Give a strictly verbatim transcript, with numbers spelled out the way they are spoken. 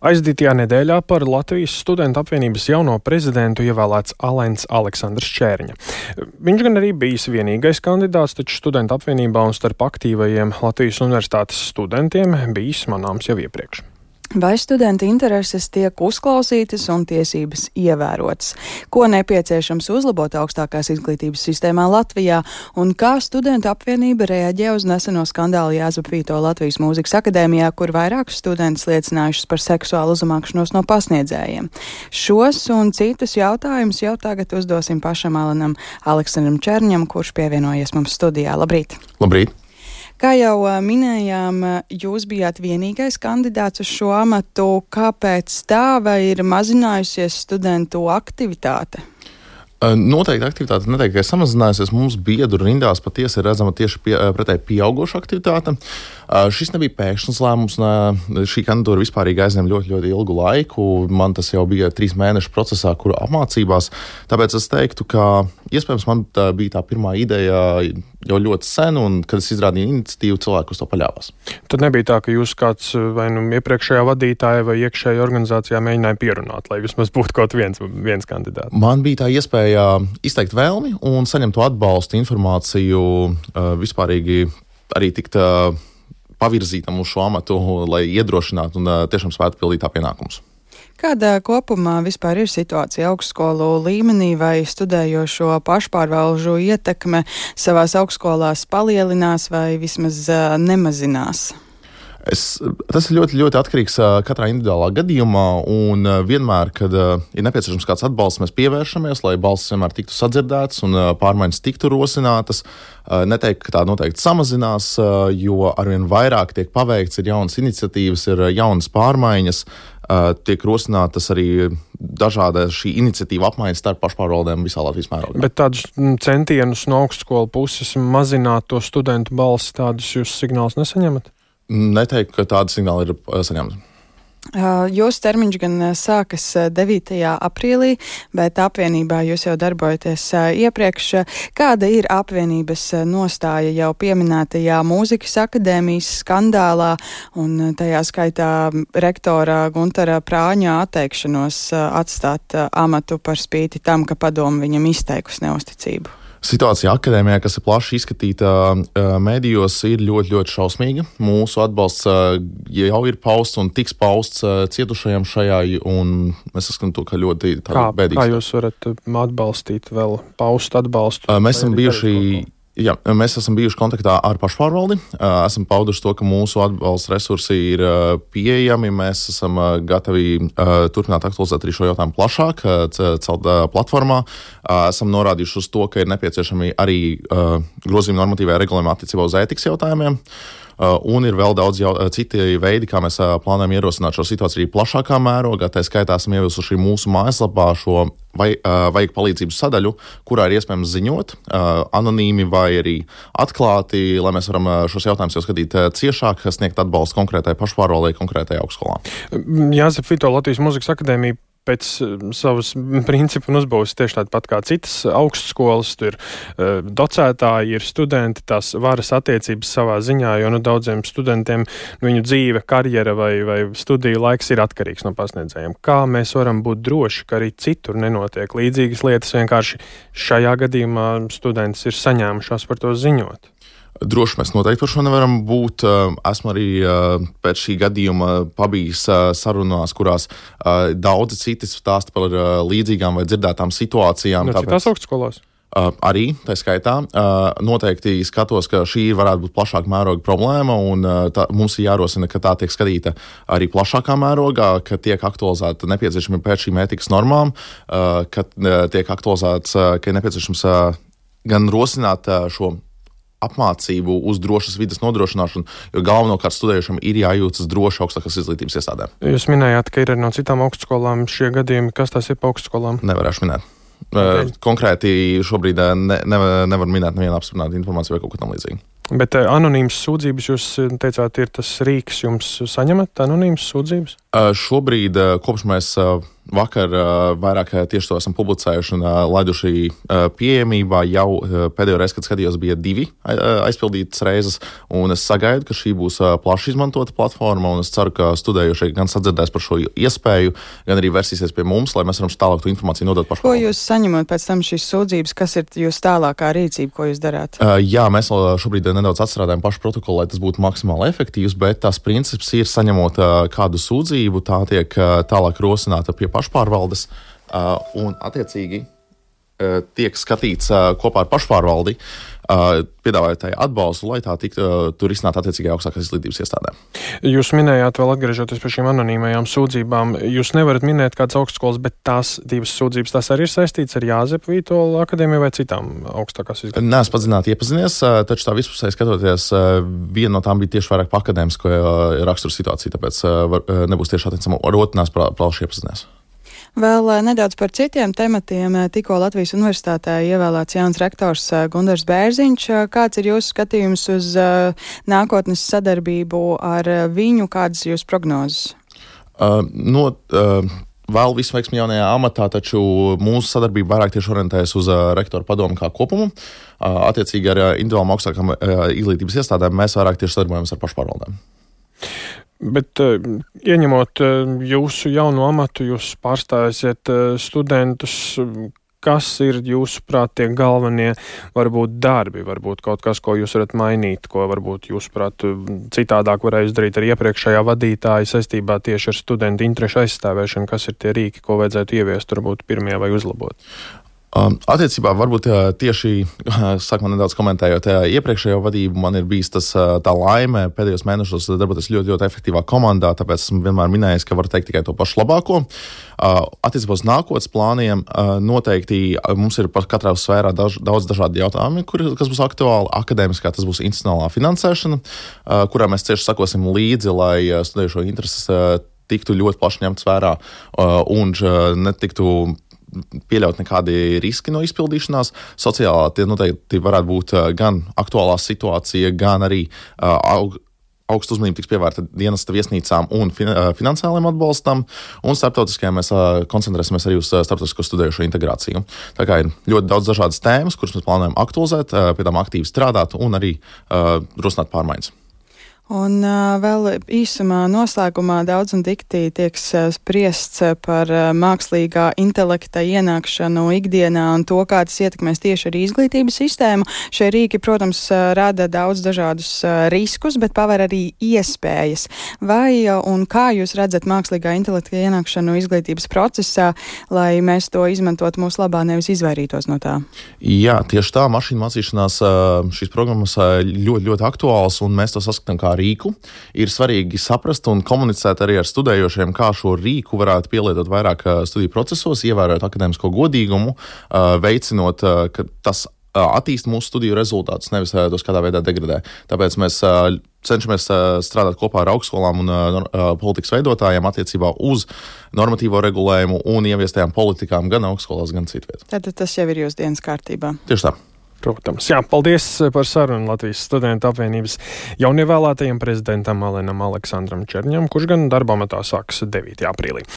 Aizdītajā nedēļā par Latvijas studentu apvienības jauno prezidentu ievēlēts Alens Aleksandrs Čērņa. Viņš gan arī bijis vienīgais kandidāts, taču studentu apvienībā un starp aktīvajiem Latvijas universitātes studentiem bijis manāms jau iepriekš. Vai studenta intereses tiek uzklausītas un tiesības ievērotas? Ko nepieciešams uzlabot augstākās izglītības sistēmā Latvijā? Un kā studenta apvienība reaģē uz neseno skandālu Jāzepa Vītola Latvijas Mūzikas akadēmijā, kur vairākus studentus liecinājušas par seksuālu uzmākšanos no pasniedzējiem? Šos un citus jautājumus jau tagad uzdosim pašam Alenam Aleksandram Čērņam, kurš pievienojies mums studijā. Labrīt! Labrīt! Kā jau minējām, jūs bijāt vienīgais kandidāts uz šo amatu. Kāpēc tā, vai ir mazinājusies studentu aktivitāte? Noteikti aktivitāte neteikti, ka ir samazinājusies. Mums biedru rindās patiesi ir redzama tieši pie, pretēji pieaugoša aktivitāte. Šis nebija pēkšņs lēmums, un šī kandidatūra vispārīgi aizņem ļoti, ļoti ilgu laiku. Man tas jau bija trīs mēnešu procesā, kuru apmācībās. Tāpēc es teiktu, ka iespējams man tā bija tā pirmā ideja jau ļoti sen, un kad es izrādīju iniciatīvu, cilvēku uz to paļāvās. Tad nebija tā, ka jūs kāds vai nu iepriekšējā vadītāja vai iekšējā organizācijā mēģināja pierunāt, lai vismaz būtu kaut viens, viens kandidāts? Man bija tā iespēja izteikt vēlmi un saņemt to atbalstu, informāciju, vispārīgi arī tikt pavirzītam uz šo amatu, lai iedrošinātu un tiešām spētu pildīt tā pienākumus. Kāda kopumā vispār ir situācija augstskolu līmenī, vai studējošo pašpārvalžu ietekme savās augstskolās palielinās vai vismaz nemazinās? Es, tas ir ļoti, ļoti atkarīgs katrā individuālā gadījumā, un vienmēr, kad ir nepieciešams kāds atbalsts, mēs pievēršamies, lai balsis vienmēr tiktu sadzirdētas un pārmaiņas tiktu rosinātas. Neteiktu, ka tā noteikti samazinās, jo arvien vairāk tiek paveikts, ir jaunas iniciatīvas, ir jaunas pārmaiņas, tiek rosinātas arī dažāda šī iniciatīva apmaiņas starp pašpārvaldēm visā Latvijas mērogā. Bet tādus centienus no augstskolu puses mazināt to studentu balsi, tādus jūs signālus nesaņemat? Neteiktu, ka tāda signāla ir saņemta. Jūsu termiņš gan sākas devītajā aprīlī, bet apvienībā jūs jau darbojaties iepriekš. Kāda ir apvienības nostāja jau pieminētajā Mūzikas akadēmijas skandālā un tajā skaitā rektora Guntara Prāņa atteikšanos atstāt amatu par spīti tam, ka padome viņam izteikusi neusticību? Situācija akadēmijā, kas ir plaši izskatīta medijos, ir ļoti, ļoti šausmīga. Mūsu atbalsts jau ir pausts un tiks pausts cietušajiem šajā, un mēs saskatām to, ka ļoti bēdīgs. Kā jūs varat atbalstīt vēl paust atbalstu? Mēs esam bijuši... Jā, mēs esam bijuši kontaktā ar pašpārvaldi, esam pauduši to, ka mūsu atbalsta resursi ir pieejami, mēs esam gatavi turpināt aktualizēt arī šo jautājumu plašāk, celt platformā, esam norādījuši uz to, ka ir nepieciešami arī grozījumi normatīvajā regulējumā attiecībā uz ētikas jautājumiem. Un ir vēl daudz jau, citi veidi, kā mēs plānojam ierosināt šo situāciju arī plašākā mērogā. Tā skaitā esam ievilsuši mūsu mājaslapā šo vai, vajag palīdzības sadaļu, kurā ir iespējams ziņot anonīmi vai arī atklāti, lai mēs varam šos jautājumus jau skatīt ciešāk, sniegt atbalstu konkrētai pašpārvaldei, konkrētai augstskolā. Jāzepa Vītola Latvijas Mūzikas akadēmija pēc savas principu un uzbūves tieši tāda pat kā citas augstskolas, tur uh, docētāji ir studenti, tās varas attiecības savā ziņā, jo nu, daudziem studentiem nu, viņu dzīve, karjera vai, vai studiju laiks ir atkarīgs no pasniedzējiem. Kā mēs varam būt droši, ka arī citur nenotiek līdzīgas lietas, vienkārši šajā gadījumā students ir saņēmušās par to ziņot? Droši mēs noteikti par šo nevaram būt. Esmu arī pēc šī gadījuma pabijis sarunās, kurās daudzi citi stāsta par līdzīgām vai dzirdētām situācijām. No citās augstskolās? Arī, tā skaitā. Noteikti skatos, ka šī varētu būt plašāka mēroga problēma, un tā, mums ir jārosina, ka tā tiek skatīta arī plašākā mērogā, ka tiek aktualizēta nepieciešami pēc šīm ētikas normām, ka tiek aktualizēts, ka ir nepieciešams gan rosināt šo apmācību uz drošas vides nodrošināšanu, jo galvenokārt studējušam ir jājūtas droši augstākās izglītības iestādēm. Jūs minējāt, ka ir no citām augstskolām šie gadījumi. Kas tas ir pa augstskolām? Nevarēšu minēt. Okay. Konkrēti šobrīd ne, ne, nevar minēt nevienu apstiprinātu informāciju vai kaut ko tam līdzīgi. Bet anonīmas sūdzības, jūs teicāt, ir tas rīks, jums saņemat anonīmas sūdzības? Šobrīd, kopš mēs vakar vairāk tieši to esam publicējuši un laiduši pieejamībā. Jau pēdējo reizi, kad skatījos, bija divi aizpildītas reizes, un es sagaidu, ka šī būs plaši izmantota platforma, un es ceru, ka studējošie gan sadzirdēs par šo iespēju, gan arī versīsies pie mums, lai mēs varam tālāk to informāciju nodot pašvaldībām. Ko jūs saņemat pēc tam šīs sūdzības? Kas ir jūsu tālākā rīcība, ko jūs darāt? Uh, jā, mēs vēl šobrīd nedaudz atstrādājam pašu protokolu, lai tas būtu maksimāli efektīvs, bet tās princips ir saņemot uh, kādu sūdzību, tā tiek uh, tālāk rosināta pie pašpārvaldes uh, un attiecīgi uh, tiek skatīts uh, kopā ar pašpārvaldi, uh, piedāvājot tai atbalstu, lai tā tiktu uh, tur izsnāt attiecīgai augstākās izglītības iestādēm. Jūs minējāt, vēl atgriežoties pie šīm anonīmajām sūdzībām, jūs nevarat minēt kādas augstskolas, bet tās divas sūdzības, tās arī ir saistītas ar Jāzepa Vītola akadēmiju vai citām augstākās izglītības? Nē, es padziļināti iepazinies, taču tā vispusēji skatoties, viena no tām bija tieši vairāk pa akadēmisko raksturu situāciju, tāpēc nebūs tieši attiecama ar otrinās plaši iepazinies. Vēl nedaudz par citiem tematiem. Tikko Latvijas universitātē ievēlēts jauns rektors Gundars Bērziņš. Kāds ir jūsu skatījums uz nākotnes sadarbību ar viņu? Kādas ir jūsu prognozes? Uh, no, uh, vēl visu veiksmi jaunajā amatā, taču mūsu sadarbība vairāk tieši orientējas uz uh, rektoru padomu kā kopumu. Uh, attiecīgi ar uh, individuālām augstākām uh, izglītības iestādēm mēs vairāk tieši sadarbojamies ar pašpārvaldēm. Bet uh, ieņemot uh, jūsu jauno amatu, jūs pārstāsiet uh, studentus. Kas ir jūsuprāt tie galvenie varbūt darbi, varbūt kaut kas, ko jūs varat mainīt, ko varbūt jūsuprāt citādāk varēja darīt ar iepriekšējā vadītāja saistībā tieši ar studentu interešu aizstāvēšanu? Kas ir tie rīki, ko vajadzētu ieviest varbūt pirmie vai uzlabot? Um, attiecībā varbūt tieši, sākumā nedaudz komentējot iepriekšējo vadību, man ir bijis tas tā laime pēdējos mēnešos darboties ļoti, ļoti efektīvā komandā, tāpēc esmu vienmēr minējis, ka varu teikt tikai to pašu labāko. Uh, attiecībā uz nākotnes plāniem uh, noteikti mums ir par katrā sfērā daž, daudz dažādi jautājumi, kur, kas būs aktuāli. Akadēmiskā tas būs institucionālā finansēšana, uh, kurā mēs cieši sakosim līdzi, lai uh, studējušo intereses uh, tiktu ļoti plaši ņemts vērā uh, un uh, netiktu pieļaut nekādi riski no izpildīšanās. Sociālā tie noteikti varētu būt gan aktuālā situācija, gan arī uh, aug, augstu uzmanību tiks pievērta dienesta viesnīcām un fin, uh, finansiāliem atbalstam, un starptautiskajā mēs uh, koncentrēsimies arī uz uh, starptautisko studējušo integrāciju. Tā kā ir ļoti daudz dažādas tēmas, kuras mēs plānojam aktualizēt, uh, pie tām aktīvi strādāt un arī uh, rosināt pārmaiņas. Un uh, vēl īsumā noslēgumā daudz un dikti tiek spriests par uh, mākslīgā intelekta ienākšanu ikdienā un to, kā tas ietekmēs tieši arī izglītības sistēmu. Šie rīki, protams, rada daudz dažādus uh, riskus, bet paver arī iespējas. Vai uh, un kā jūs redzat mākslīgā intelekta ienākšanu izglītības procesā, lai mēs to izmantotu mūsu labā, nevis izvairītos no tā? Jā, tieši tā, mašīnu mācīšanās šīs programmas ļoti, ļoti aktuāls, un mēs to saskatām kā rīku. Ir svarīgi saprast un komunicēt arī ar studējošiem, kā šo rīku varētu pielietot vairāk studiju procesos, ievērot akadēmisko godīgumu, veicinot, ka tas attīst mūsu studiju rezultātus, nevis tos kādā veidā degradē. Tāpēc mēs cenšamies strādāt kopā ar augstskolām un politikas veidotājiem attiecībā uz normatīvo regulējumu un ieviestajām politikām gan augstskolās, gan citviet. Tātad tas jau ir jūsu dienas kārtībā. Tieši tā. Protams. Jā, paldies par sarunu Latvijas studentu apvienības jaunievēlētajam prezidentam Alenam Aleksandram Čerņam, kurš gan darba amatā sāks devītajā aprīlī.